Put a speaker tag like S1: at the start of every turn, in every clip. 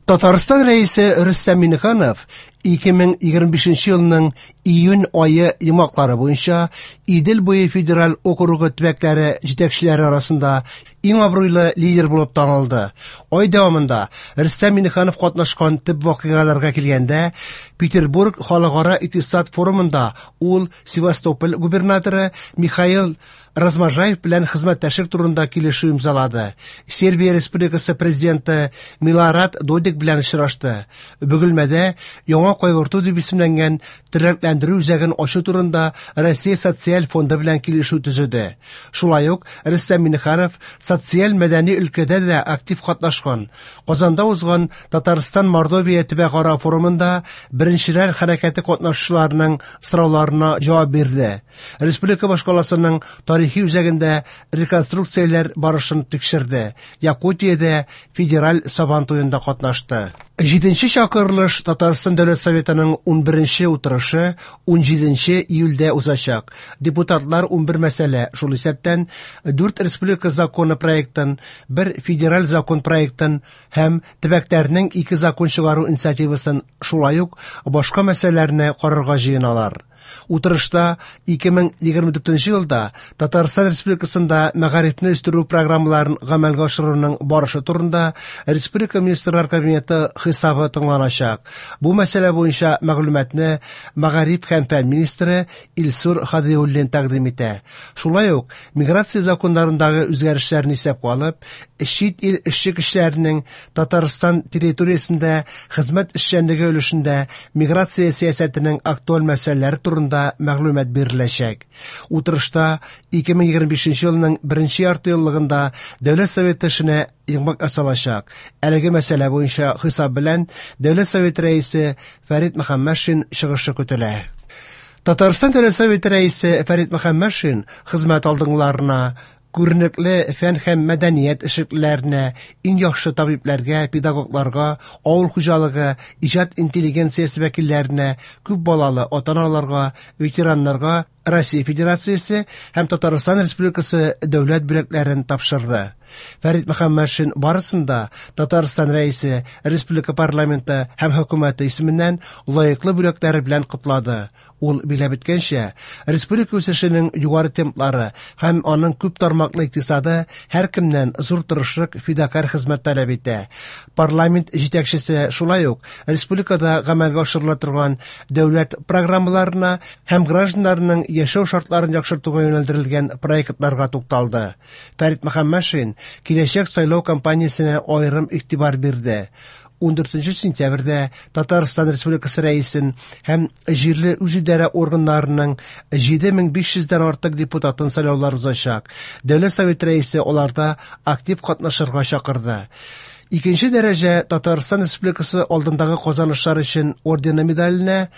S1: Татарстан Рәисе Рөстәм Миңнеханов 2025 елның июнь ае йомгаклары буенча Идел буе федераль округы төбәкләре җитәкчеләре арасында иң абруйлы лидер булып танылды. Ай дәвамында Рөстәм Миңнеханов катнашкан төп вакыйгаларга килгәндә, Петербург халыкара икътисад форумында ул Севастополь губернаторы Михаил Разможаев белән хезмәттәшлек турында килешү имзалады. Сербия Республикасы президенты Милорад Додик белән очрашты. Бөгелмәдә яңа кайгырту дип исемләнгән тернәкләндерү үзәген ачу турында Россия социаль фонды белән килешү төзеде. Шулай ук Рөстәм Миңнеханов социаль-мәдәни өлкәдә дә актив катнашкан. Казанда узган Татарстан-Мордовия төбәкара форумында Беренчеләр хәрәкәте катнашучыларының сорауларына җавап бирде. Республика башкаласының тарихи үзәгендә реконструкцияләр барышын тикшерде. Якутиядә федераль Сабан туенда катнашты. Җиденче чакырылыш Татарстан Дәүләт Советының 11нче утырышы 17 июльдә узачак. Депутатлар 11 мәсьәлә, шул исәптән 4 республика законы проектын, бер федераль закон проектын һәм төбәкләрнең ике закон чыгару инициативасын, шулай ук башка мәсьәләләрне карарга җыеналар. Утырышта 2024 елда Татарстан Республикасында мәгарифне үстерү программаларын гамәлгә ашыруның барышы турында Республика Министрлар Кабинеты хисабы тыңланачак. Бу мәсьәлә буенча мәгълүматны мәгариф һәм фән министры Илсур Һадиуллин тәкъдим итә. Шулай ук миграция законнарындагы үзгәрешләрне исәпкә алып, чит ил эшче көчләренең Татарстан территориясендә хезмәт эшчәнлеге өлешендә миграция сәясәтенең актуаль мәсьәләләре турында мәгълүмат биреләчәк. Утырышта 2025 елның беренче яртыеллыгында Дәүләт Советы эшенә йомгак ясалачак. Әлеге мәсьәлә буенча хисап белән Дәүләт Советы Рәисе Фәрит Мөхәммәтшин чыгышы көтелә. Татарстан Дәүләт Советы Рәисе Фәрит Мөхәммәтшин хезмәт алдынгыларына, күренекле фән һәм мәдәният эшлеклеләренә, иң яхшы табибләргә, педагогларга, авыл хуҗалыгы, иҗат интеллигенциясе вәкилләренә, күп балалы ата-аналарга, ветераннарга Россия Федерациясе һәм Татарстан Республикасы дәүләт бүләкләрен тапшырды. Фәрит Мөхәммәтшин барысын да Татарстан Рәисе, республика парламенты һәм хөкүмәте исеменнән лаеклы бүләкләре белән котлады. Ул биләп үткәнчә, республика үсешенең югары темплары һәм аның күп тармаклы икътисады һәркемнән зур тырышлык, фидакарь хезмәт таләп итә. Парламент җитәкчесе шулай ук республикада гамәлгә ашырыла торган дәүләт программаларына һәм гражданнарның яшәү шартларын яхшыртуга юнәлдерелгән проектларга тукталды. Фәрит Мөхәммәтшин киләчәк сайлау кампаниясенә аерым игътибар бирде. 14 сентябрьдә Татарстан Республикасы Рәисен һәм җирле үзидарә органнарының 7500 дән артык депутатын сайлаулар узачак. Дәүләт Советы Рәисе аларда актив катнашырга чакырды. Икенче дәрәҗә Татарстан Республикасы алдындагы казанышлар өчен ордены медаленә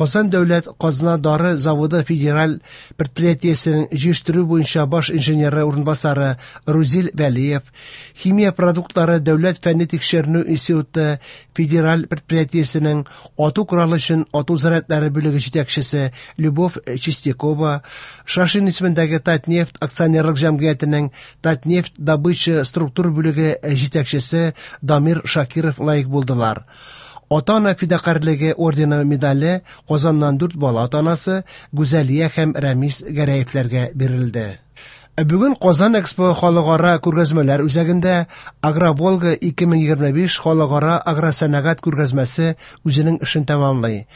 S1: Казан дәүләт казна дары заводы федераль предприятиесенең җыештыру буенча баш инженеры урынбасары Рузил Вәлиев, Химия продуктлары дәүләт фәнни тикшеренү институты федераль предприятиесенең ату коралы өчен ату зарядлары бүлеге җитәкчесе Любовь Чистякова, Шашин исемендәге Татнефть акционерлык җәмгыятенең Татнефть добыча структур бүлеге җитәкчесе Дамир Шакиров лаек булдылар. Ата-ана фидакарьлеге ордены медале Казаннан дүрт бала ата-анасы Гүзәлия һәм Рәмис Гәрәевләргә бирелде. Ә бүген Казан Экспо халыкара күргәзмәләр үзәгендә Агроволга 2025 халыкара агросәнәгать күргәзмәсе үзенең эшен тәмамлый.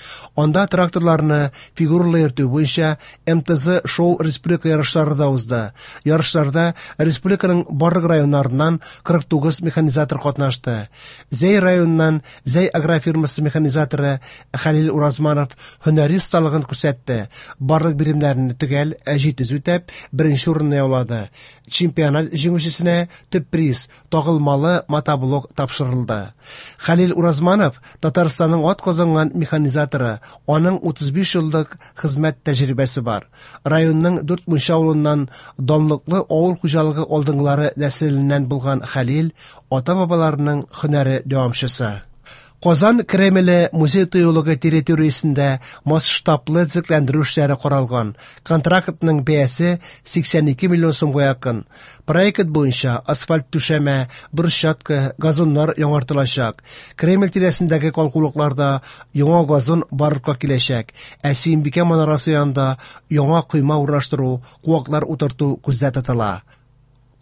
S1: Анда тракторларны фигуралы йөртү буенча МТЗ шоу республика ярышлары да узды. Ярышларда республиканың барлык районнарыннан 49 механизатор катнашты. Зәй районыннан Зәй агрофирмасы механизаторы Хәлил Уразманов һөнәри осталыгын күрсәтте. Барлык биремнәрне төгәл, җитез үтәп, беренче урынны яулады. Чемпионат җиңүчесенә төп приз, тагылмалы мотоблок тапшырылды. Хәлил Уразманов Татарстанның атказанган механизаторы, аның 35 еллык хезмәт тәҗрибәсе бар. Районның Дүрт Мунча авылыннан данлыклы авыл хуҗалыгы алдынгылары нәселеннән булган Хәлил ата-бабаларының һөнәре дәвамчысы. Казан Кремле музей-тыюлыгы территориясендә масштаблы төзекләндерү эшләре каралган. Контрактның бәясе 82 миллион сумга якын. Проект буенча асфальт түшәмә, брусчатка, газоннар яңартылачак. Кремль тирәсендәге калкулыкларда яңа газон барлыкка киләчәк, ә Сөембикә манарасы янында яңа койма урнаштыру, куаклар утырту күздә тотыла.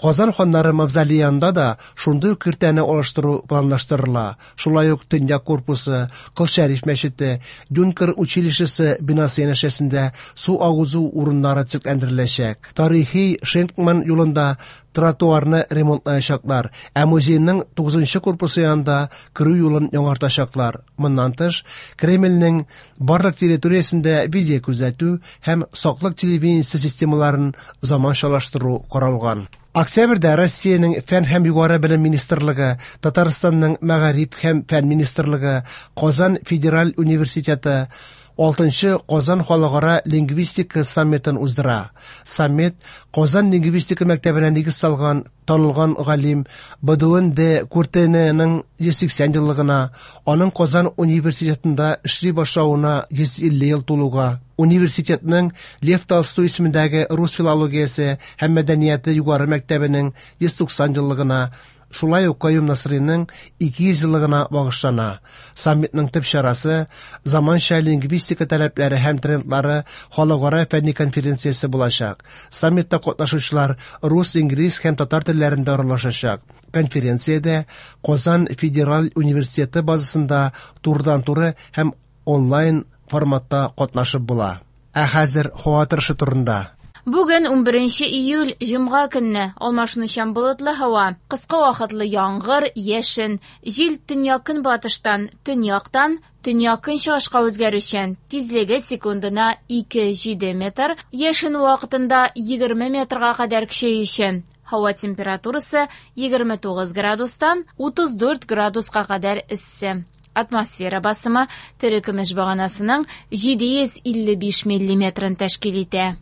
S1: Казан ханнары мавзолее янында да шундый ук киртәне алыштыру планлаштырыла. Шулай ук Төньяк корпусы, Кол Шәриф мәчете, Юнкер училищесы бинасы янәшәсендә су агызу урыннары төзекләндереләчәк. Тарихи Шенкман юлында тротуарны ремонтлаячаклар, ә музейның 9 корпусы янында керү юлын яңартачаклар. Моннан тыш, Кремльнең барлык территориясендә видеокүзәтү һәм саклык телевидениесе системаларын заманчалаштыру каралган. Октябрьдә Россиянең Фән һәм югары белем министрлыгы, Татарстанның Мәгариф һәм фән министрлыгы, Казан федераль университеты 6нчы Казан халыкара лингвистика саммитын уздыра. Саммит Казан лингвистика мәктәбенә нигез салган танылган галим Бодуэн де Куртененың 180 еллыгына, аның Казан университетында эшли башлавына 150 ел тулуга, университетның Лев Толстой исемендәге рус филологиясе һәм мәдәнияте югары мәктәбенең 190 еллыгына, шулай ук Каюм Насыйриның 200 еллыгына багышлана. Саммитның төп чарасы заманча лингвистика таләпләре һәм трендлары халыкара фәнни конференциясе булачак. Саммитта катнашучылар рус, инглиз һәм татар телләрендә аралашачак. Конференциядә Казан федераль университеты базасында турыдан-туры һәм онлайн форматта катнашып була. Ә хәзер һава торышы турында.
S2: Бүген 11 июль, җомга көнне, алмашынучан болытлы һава, кыска вакытлы яңгыр, яшен, җил төньяк-көнбатыштан, төньяктан, төньяк-көнчыгышка үзгәрүчән, тизлеге секундына 2,7 метр, яшен вакытында 20 метрга кадәр көчәючән. Һава температурасы 29 градустан 34 градуска кадәр эссе. Атмосфера басымы терекөмеш баганасының 755 миллиметрын тәшкил итә.